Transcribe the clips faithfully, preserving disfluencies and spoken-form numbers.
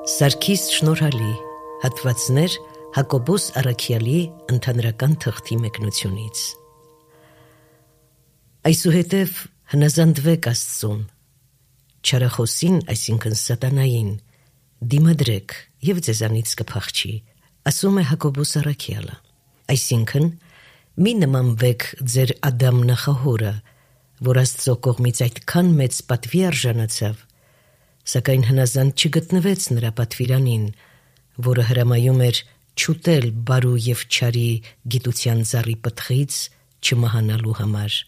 Սարգիս Շնորհալի, հատվածներ Հակոբոս Առաքյալի ընդհանրական թղթի մեկնությունից։ Այսուհետև հնազանդվեք Աստծուն, չարախոսին, այսինքն սատանային, դիմադրեք և ձեզանից կփախչի, ասում է Հակոբոս Առաքյալը, այսինքն մի նմանվեք ձեր Ադամ նախահորը, որ Աստծո կողմից այդքան մեծ պատվի արժանացավ, սակայն հնազանդ չգտնվեց նրա պատվիրանին, որը հրամայում էր չուտել բարու և չարի գիտության ծառի պտղից չմահանալու համար։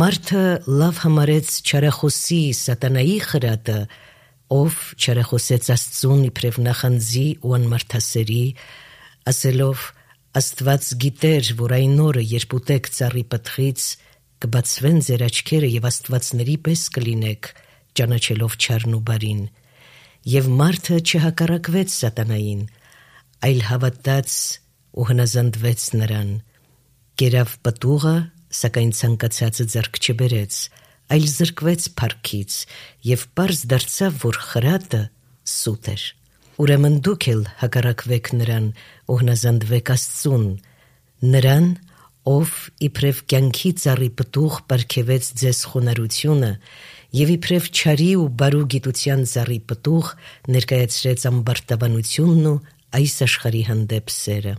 Մարդը լավ համարեց չարախոսի սատանայի խրատը, ով չարախոսեց Աստծուն իբրև նախանձի ու անմարդասերի, ասելով Աստված գիտեր, որ այն օրը, երբ ուտեք ծառի պտղից, կբացվեն ձեր աչքերը և աստվածների պես կլինեք, ճանաչելով չարն ու բարին, և մարդը չհակառակվեց սատանային, այլ հավատաց ու հնազանդվեց նրան, կերավ պտուղը, սակայն ցանկացածը ձեռք չբերեց, այլ զրկվեց փառքից և պարզ դարձավ, որ խրատը սուտ էր։ Ուրեմն դուք էլ հակառակվեք նրան ու հնազանդվեք Աստծուն, նրան, ով իբրև կյանքի ծառի պտուղ պարգևեց ձեզ խոնարհությունը և իբրև չարի ու բարու գիտության ծառի պտուղ ներկայացրեց ամբարտավանությունն ու այս աշխարհի հանդեպ սերը։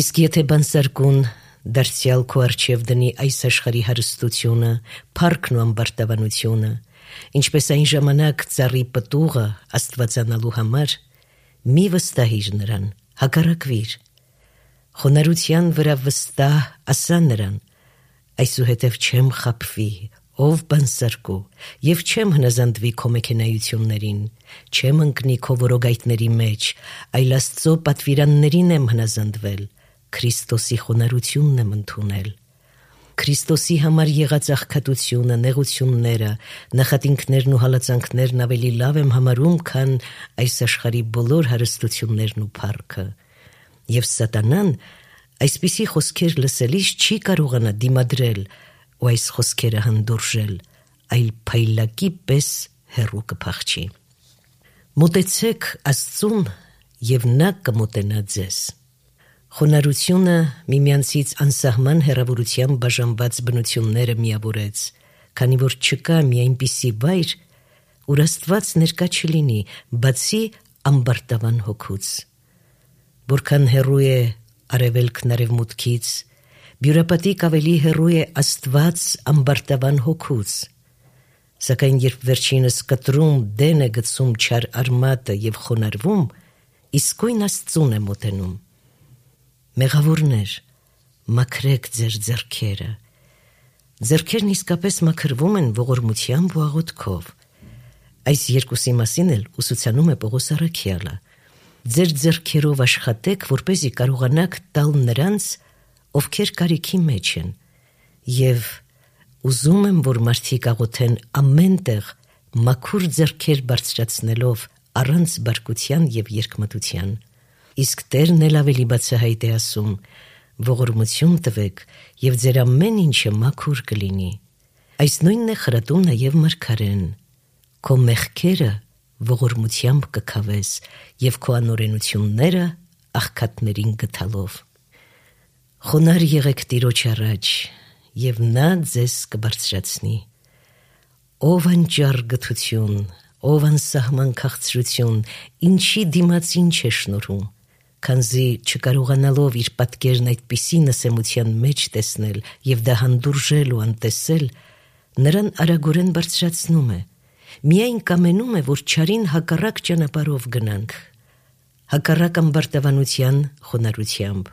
Իսկ եթե բանսարկուն դարձյալ քո առջև դնի այս աշխարհի հարստությունը, փառքն ու ամբարտավանությունը, ինչպես այն ժամանակ ծառի պտուղը աստվածանալու համար, մի վստահիր նրան, հակառակվիր։ Խոնարհության վրա վստահ ասա նրան, այսուհետև չեմ խաբվի, ով բանսարկու, և չեմ հնազանդվի քո մեքենայություններին, չեմ ընկնի քո որոգայթների մեջ, այլ Աստծո պատվիրաններին եմ հնազանդվել, Քրիստոսի խոնարհությունն եմ ընդունել։ Քրիստոսի համար եղած աղքատությունը, նեղությունները, նախատինքներն ու հալածանքներն ավելի լավ եմ համարում, քան այս աշխարհի բոլոր հարստություններն ու փառքը։ Եվ սատանան այսպիսի խոսքեր լսելիս չի կարողանա դիմադրել ու այս խոսքերը հանդուրժել, այլ փայլակի պես հեռու կփախչի։ Մոտեցեք Աստծուն, և նա կմոտենա ձեզ։ Խոնարհությունը միմյանցից անսահման հեռավորությամբ բաժանված բնությունները միավորեց, քանի որ չկա մի այնպիսի վայր, ուր Աստված ներկա չլինի, բացի ամբարտավան հոգուց։ Որքան հեռու է արևելքն արևմուտքից, բյուրապատիկ ավելի հեռու է Աստված ամբարտավան հոգուց։ Սակայն երբ վերջինս կտրում դեն է գցում չար արմատը և խոնարհվում, իսկույն Աստծուն է մոտենում։ Մեղավորներ, մաքրեք ձեր ձեռքերը։ Ձեռքերն իսկապես մաքրվում են ողորմությամբ ու աղոթքով։ Այս երկուսի մասին էլ ուսուցանում է Պողոս Առաքյալը։ Ձեր ձեռքերով աշխատեք, որպեսզի կարողանաք տալ նրանց, ովքեր կարիքի մեջ են, և ուզում եմ, որ մարդիկ աղոթեն ամեն տեղ մաքուր ձեռքեր բարձրացնելով առանց բարկության և երկմտության։ Իսկ Տերն էլ ավելի բացահայտ է ասում. ողորմություն տվեք, և ձեր ամեն ինչը մաքուր կլինի։ Այս նույնն է խրատում նաև մարգարեն. քո մեղքերը ողորմությամբ կքավես և քո անօրենությունները աղքատներին գթալով։ Խոնարհ եղեք Տիրոջ առաջ, և նա ձեզ կբարձրացնի։ Ով անճար գթություն, ով անսահման քաղցրություն, ինչի դիմաց ինչ է շնորհում, քանզի չկարողանալով իր պատկերն այդպիսի նսեմության մեջ տեսնել և դա հանդուրժել ու անտեսել, նրան արագորեն բարձրացնում է, միայն կամենում է, որ չարին հակառակ ճանապարհով գնանք, հակառակ ամբարտավանության խոնարհությամբ,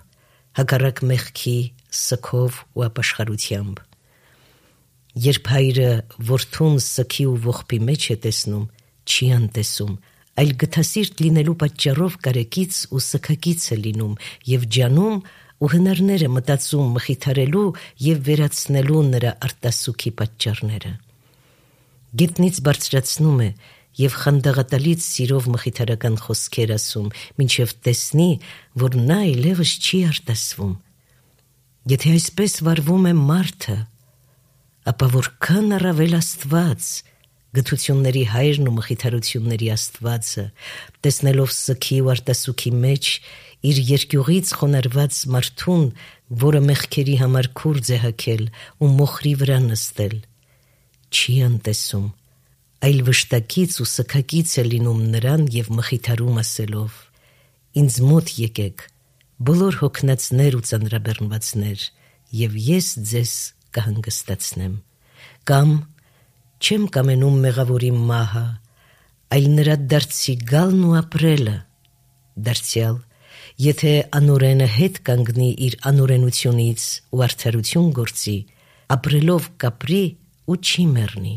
հակառակ մեղքի սգով ու ապաշխարությամբ։ Երբ հայրը որդուն սգի ու ողբի մեջ է տեսնում, չի անտեսում, այլ գթասիրտ լինելու պատճառով կարեկից ու սգակից է լինում և ջանում ու հնարներ է մտածում մխիթարելու և վերացնելու նրա արտասուքի պատճառները։ Գետնից բարձրացնում է և խանդաղատալից սիրով մխիթարական խոսքեր ասում, մինչև տեսնի, որ նա այլևս չի արտասվում։ Եթե այսպես վարվում է մարդը, ապա որքան առավել Աստված, գթությունների հայրն ու մխիթարությունների Աստվածը, տեսնելով սգի ու արտասուքի մեջ իր երկյուղից խոնարհված մարդուն, որը մեղքերի համար քուրձ է հագել ու մոխրի վրա նստել, չի անտեսում, այլ վշտակից ու սգակից է լինում նրան և մխիթարում ասելով. «Ինձ մոտ եկեք, բոլոր հոգնածներ ու ծանրաբեռնվածներ, և ես ձեզ կհանգստացնեմ»։ Կամ չեմ կամենում մեղավորի մահը, այլ նրա դարձի գալն ու ապրելը։ Դարձյալ, եթե անօրենը հետ կանգնի իր անօրենությունից ու արդարություն գործի, ապրելով կապրի ու չի մեռնի։